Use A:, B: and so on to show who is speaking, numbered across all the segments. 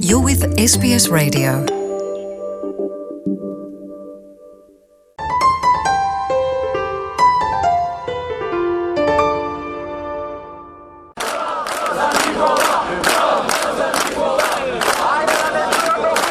A: You're with SBS Radio.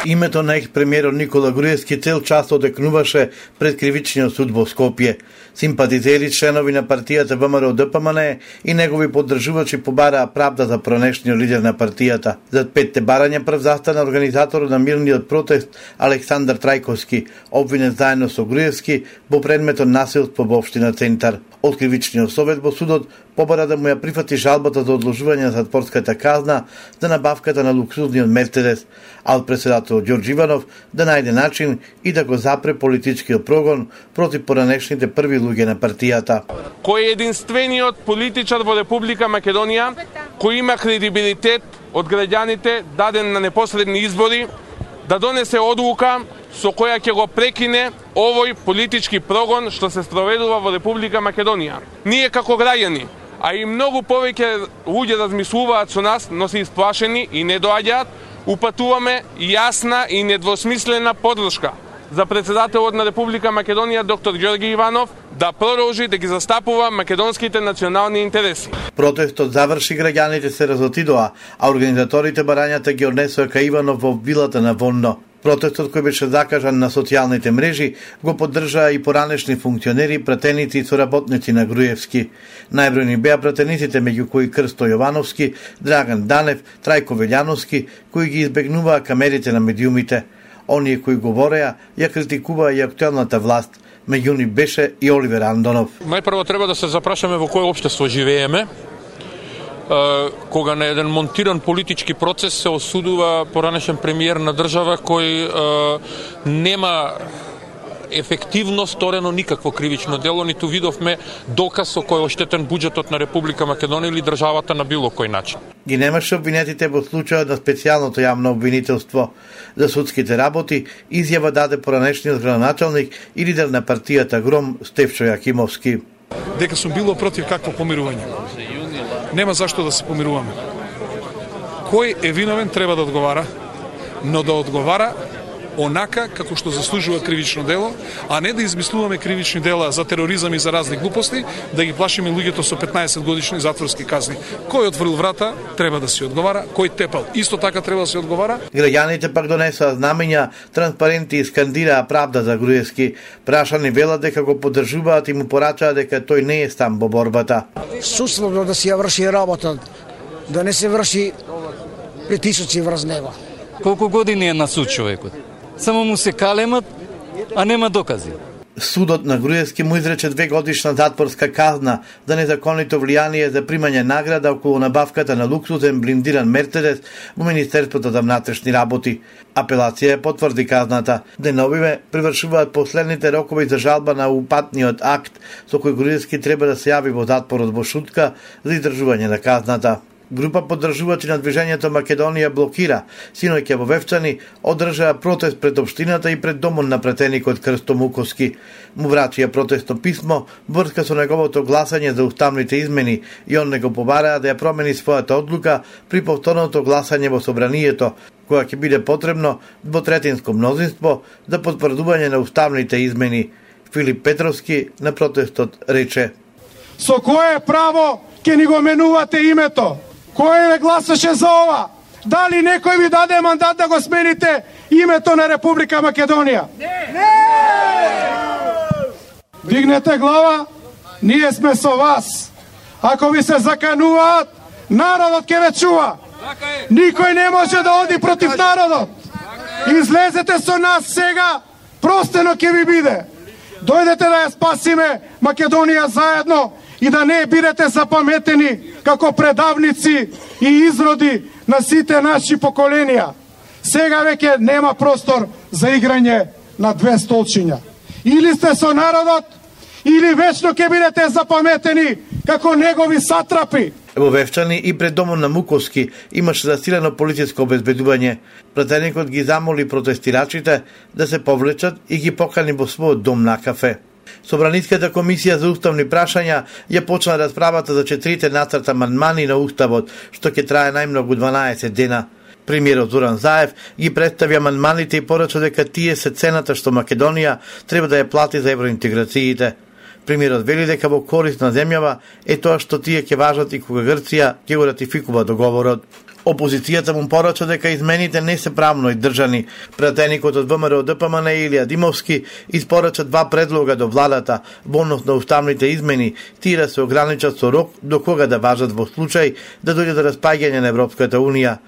B: Името на екс-премиерот Никола Груевски цел час одекнуваше пред кривичниот суд во Скопје. Симпатизери, членови на партијата ВМРО-ДПМН и негови поддржувачи побараа правда за пронешниот лидер на партијата. За 5 барања прв застана организаторот на мирниот протест Александар Трајковски, обвинет заедно со Груевски во предметот насилство во општина Центар. Од кривичниот совет во судот побара да му ја прифати жалбата за одложување на затворската казна за набавката на луксузниот Мерцедес, а од председателот Ѓорѓ Иванов да најде начин и да го запре политичкиот прогон против поранешните први луѓе на партијата.
C: Кој е единствениот политичар во Република Македонија кој има кредибилитет од граѓаните даден на непосредни избори да донесе одлука со која ќе го прекине овој политички прогон што се спроведува во Република Македонија. Ние како граѓани, а и многу повеќе луѓе размислуваат со нас, но се исплашени и не доаѓаат, упатуваме јасна и недвосмислена поддршка за председателот на Република Македонија доктор Ѓорѓи Иванов да продолжи да ги застапува македонските национални интереси.
B: Протестот заврши, граѓаните се разотидоа, а организаторите барањата ги однесоа кај Иванов во вилата на Вонно. Протестот кој беше закажан на социјалните мрежи го поддржаа и поранешни функционери, пратеници и соработници на Груевски. Најбројни беа пратениците, меѓу кои Крсто Јовановски, Драган Данев, Трајко Велјановски, кои ги избегнуваа камерите на медиумите. Оние кои говореа ја критикуваа и актуелната власт. Меѓу нив беше и Оливер Андонов.
D: Најпрво треба да се запрашаме во кое општество живееме, кога на еден монтиран политички процес се осудува поранешен премиер на држава кој нема ефективно сторено никакво кривично дело, ниту видовме доказ со кој оштетен буџетот на Република Македонија или државата на било кој начин.
B: Ги немаше обвинетите во случајот на специјалното јавно обвинителство. За судските работи изјава даде поранешниот градоначалник и лидер на партијата Гром Стефчо Јакимовски.
E: Дека сум било против какво помирување. Нема зашто да се помируваме. Кој е виновен треба да одговара, но да одговара онака како што заслужува кривично дело, а не да измислуваме кривични дела за тероризам и за разни глупости, да ги плашиме луѓето со 15 годишни затворски казни. Кој отворил врата, треба да се одговара, кој тепал, исто така треба да се одговара.
B: Граѓаните пак донесоа знамења, транспаренти и скандираа правда за Груевски. Прашани велат дека го поддржуваат и му порачаа дека тој не е сам во борбата.
F: Судството да си ја врши работа, да не се врши притисоци врз него.
G: Колку години е на суд човекот? Само му се калемат, а нема докази.
B: Судот на Груевски му изрече 2-годишна затворска казна за незаконито влијание за примање награда околу набавката на луксузен блиндиран Мерцедес во Министерството за внатрешни работи. Апелација потврди казната. Деновиве привршуваат последните рокови за жалба на упатниот акт со кој Груевски треба да се јави во затворот во Шутка за издржување на казната. Група поддржувачи на движењето Македонија блокира. Синоќа во Вевчани одржаа протест пред општината и пред домот на пратеникот Крсто Муковски. Му врачија протестно писмо врска со неговото гласање за уставните измени и он него побараа да ја промени својата одлука при повторното гласање во собранието, која ќе биде потребно двотретинско мнозинство за потврдување на уставните измени. Филип Петровски на протестот рече:
H: Со кое право ќе ни го менувате името? Кој ве гласаше за ова? Дали некој ви даде мандат да го смените името на Република Македонија? Не! Дигнете глава, ние сме со вас. Ако ви се закануваат, народот ќе ве чува. Никој не може да оди против народот. Излезете со нас сега, простено ќе ви биде. Дојдете да ја спасиме Македонија заедно и да не бидете запаметени како предавници и изроди на сите наши поколенија. Сега веќе нема простор за играње на две столчиња. Или сте со народот, или вечно ќе бидете запаметени како негови сатрапи.
B: Во Вевчани и пред домот на Муковски имаше засилено полициско обезбедување. Пратеникот ги замоли протестирачите да се повлечат и ги покани во својот дом на кафе. Собраниската комисија за уставни прашања ја почна расправата за 4 нацрта амандмани на уставот, што ќе трае најмногу 12 дена. Премиерот Зоран Заев ги представи амандманите и порача дека тие се цената што Македонија треба да ја плати за евроинтеграциите. Премиерот вели дека во корист на земјава е тоа што тие ќе важат и кога Грција ќе го ратификува договорот. Опозицијата му порача дека измените не се правно издржани. Пратеникот од ВМРО ДПМН Илија Димовски испорача два предлога до владата во однос на уставните измени, тие да се ограничат со рок до кога да важат во случај да дојде до распаѓање на Европската Унија.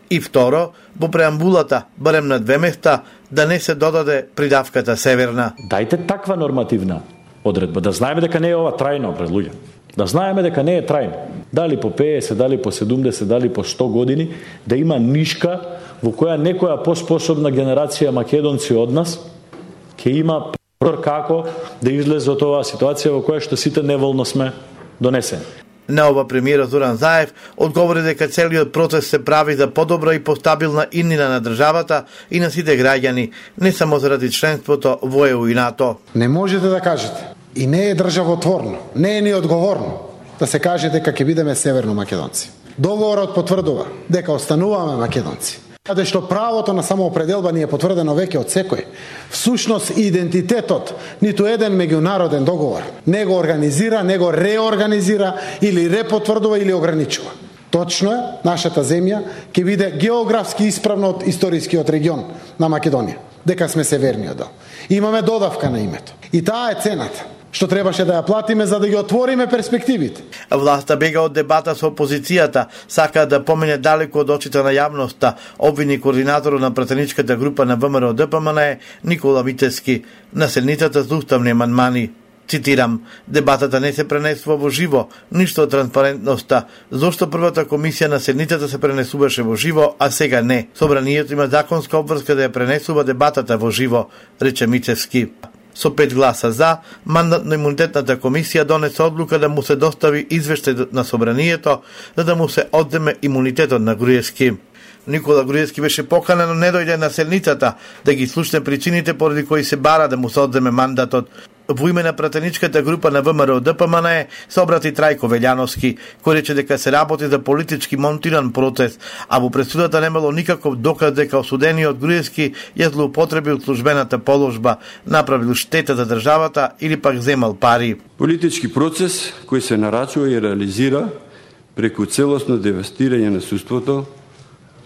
B: И второ, во преамбулата, барем на 2 места, да не се додаде придавката северна.
I: Дајте таква нормативна одредба, да знаеме дека не е ова трајно пред луѓе. Да знаеме дека не е трајно. Дали по 50, дали по 70, дали по 100 години, да има нишка во која некоја поспособна генерација македонци од нас ќе има прор како да излезе од оваа ситуација во која што сите неволно сме донесени.
B: На ова премиерот Зоран Заев одговори дека целиот процес се прави за подобра и постабилна иднина на државата и на сите граѓани, не само заради членството во ЕУ и НАТО.
J: Не можете да кажете и не е државотворно, не е ни одговорно да се каже дека ќе бидеме северно македонци. Договорот потврдува дека остануваме македонци. Каде што правото на самоопределба ни е потврдено веќе од секој. Всушност идентитетот ниту еден меѓународен договор не го организира, не го реорганизира или репотврдува или ограничува. Точно е, нашата земја ќе биде географски исправно од историскиот регион на Македонија, дека сме северниот дел. Имаме додавка на името. И таа е цената што требаше да ја платиме за да ги отвориме перспективите.
B: Власта бега од дебата со опозицијата, сака да помине далеку од очите на јавноста, обвини координаторот на пратеничката група на ВМРО ДПМН Никола Витески на седницата за уставни амандмани. Цитирам, дебатата не се пренесува во живо, ништо од транспарентноста. Зошто првата комисија на седницата се пренесуваше во живо, а сега не? Собранието има законска обврска да ја пренесува дебатата во живо, рече Мицевски. Со 5 гласа за, мандатно-имунитетната комисија донесе одлука да му се достави извештај на собранието, за да му се одземе имунитетот на Груевски. Никола Груевски беше поканен, но не дојде на седницата да ги слушне причините поради кои се бара да му се одземе мандатот. Во име на пратеничката група на ВМРО ДПМН се обрати Трајко Велјановски, кој рече дека се работи за политички монтиран процес, а во пресудата немало никаков доказ дека осудениот Груевски ја злоупотребил службената положба, направил штета за државата или пак земал пари.
K: Политички процес кој се нарачува и реализира преку целосно девастирање на суството,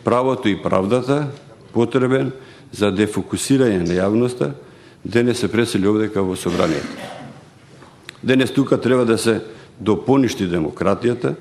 K: правото и правдата, потребен за дефокусирање на јавноста, денес се пресели овдека во собранието. Денес тука треба да се допоништи демократијата,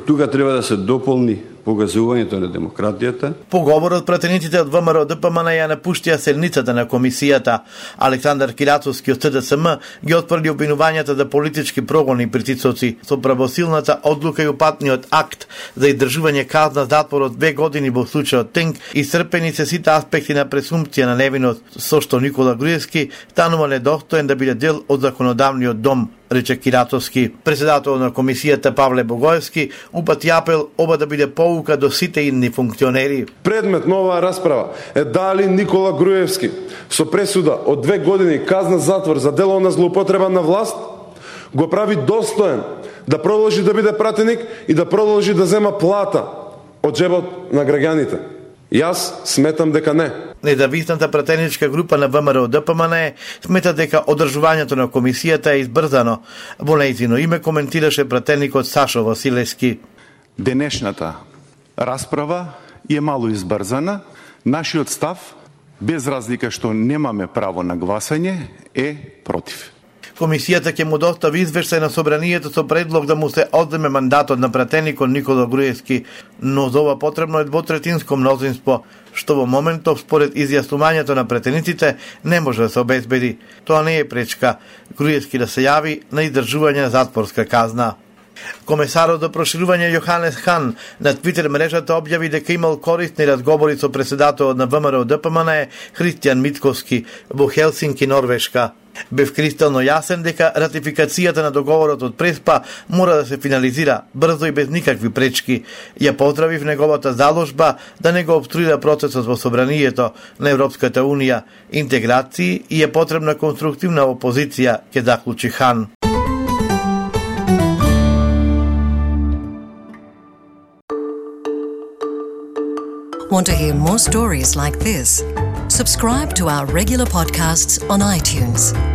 K: тука треба да се дополни погазувањето на демократијата.
B: По говорот пратениците од ВМРО ДПМН ја напуштија седницата на комисијата. Александар Кирацовски од СДСМ ги отфрли обвинувањата за политички прогони и притисоци. Со правосилната одлука и упатниот акт за издржување казна затвор од 2 години во случајот Тенк, исцрпени се сите аспекти на пресумпција на невиност, со што Никола Груевски станува недостоен да биде дел од законодавниот дом, рече Кирацовски. Председател на комисијата Павле Богоевски упати апел оба да биде поука до сите идни функционери.
L: Предмет на оваа расправа е дали Никола Груевски со пресуда од 2 години казна затвор за дело на злоупотреба на власт го прави достоен да продолжи да биде пратеник и да продолжи да зема плата од џебот на граѓаните. Јас сметам дека не.
B: Независната пратеничка група на ВМРО ДПМН смета дека одржувањето на комисијата е избрзано. Во нејзино име коментираше пратеникот Сашо Василевски.
M: Денешната расправа е мало избрзана. Нашиот став, без разлика што немаме право на гласање, е против.
B: Комисијата ќе му достави извештај на собранието со предлог да му се одземе мандатот на пратеникот Никола Груевски, но за ова потребно е двотретинско мнозинство, што во моментов според изјаснувањето на пратениците не може да се обезбеди. Тоа не е пречка Груевски да се јави на издржување на затворска казна. Комесарот за проширување Јоханес Хан на Твитер мрежата објави дека имал корисни разговори со председателот на ВМРО ДПМН Христијан Мицковски во Хелсинки, Норвешка. Бев кристално јасен дека ратификацијата на договорот од Преспа мора да се финализира брзо и без никакви пречки. Ја поздрави в неговата заложба да не го обструира процесот во собранието на Европската Унија, интеграции и е потребна конструктивна опозиција, ќе заклучи Хан.
A: Want to hear more stories like this? Subscribe to our regular podcasts on iTunes.